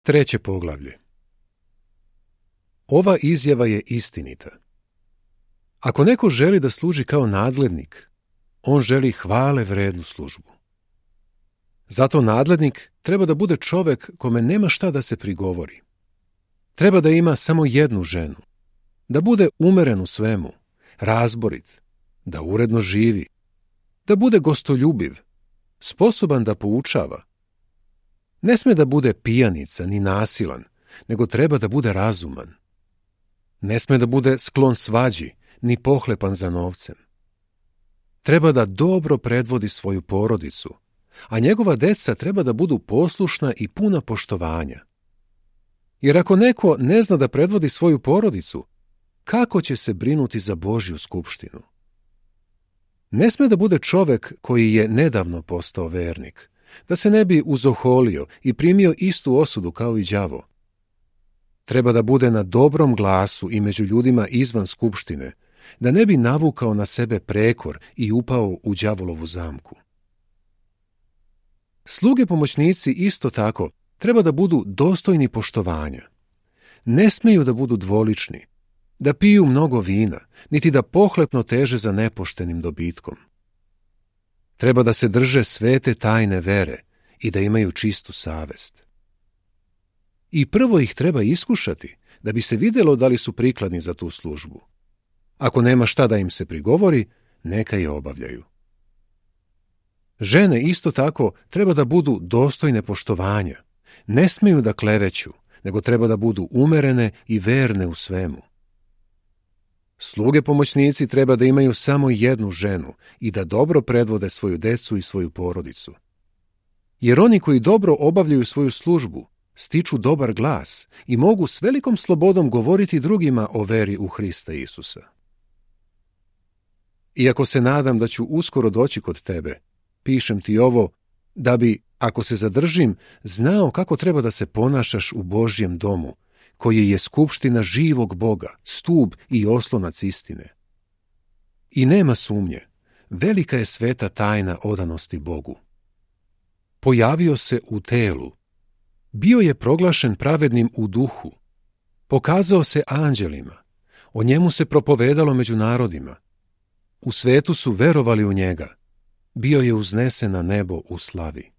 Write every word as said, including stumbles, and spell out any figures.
Treće poglavlje. Ova izjava je istinita. Ako neko želi da služi kao nadglednik, on želi hvale vrednu službu. Zato nadglednik treba da bude čovek kome nema šta da se prigovori. Treba da ima samo jednu ženu, da bude umeren u svemu, razborit, da uredno živi, da bude gostoljubiv, sposoban da poučava. Ne sme da bude pijanica ni nasilan, nego treba da bude razuman. Ne sme da bude sklon svađi, ni pohlepan za novcem. Treba da dobro predvodi svoju porodicu, a njegova deca treba da budu poslušna i puna poštovanja. Jer ako neko ne zna da predvodi svoju porodicu, kako će se brinuti za Božju skupštinu? Ne sme da bude čovek koji je nedavno postao vernik, da se ne bi uzoholio i primio istu osudu kao i đavo. Treba da bude na dobrom glasu i među ljudima izvan skupštine, da ne bi navukao na sebe prekor i upao u đavolovu zamku. Sluge pomoćnici isto tako treba da budu dostojni poštovanja. Ne smeju da budu dvolični, da piju mnogo vina, niti da pohlepno teže za nepoštenim dobitkom. Treba da se drže svete tajne vere i da imaju čistu savest. I prvo ih treba iskušati, da bi se vidjelo da li su prikladni za tu službu. Ako nema šta da im se prigovori, neka je obavljaju. Žene isto tako treba da budu dostojne poštovanja. Ne smeju da kleveću, nego treba da budu umerene i verne u svemu. Sluge pomoćnici treba da imaju samo jednu ženu i da dobro predvode svoju decu i svoju porodicu. Jer oni koji dobro obavljaju svoju službu, stiču dobar glas i mogu s velikom slobodom govoriti drugima o veri u Hrista Isusa. Iako se nadam da ću uskoro doći kod tebe, pišem ti ovo da bi, ako se zadržim, znao kako treba da se ponašaš u Božjem domu, koji je skupština živog Boga, stub i oslonac istine. I nema sumnje, velika je sveta tajna odanosti Bogu. Pojavio se u telu, bio je proglašen pravednim u duhu, pokazao se anđelima, o njemu se propovedalo među narodima, u svetu su verovali u njega, bio je uznesen na nebo u slavi.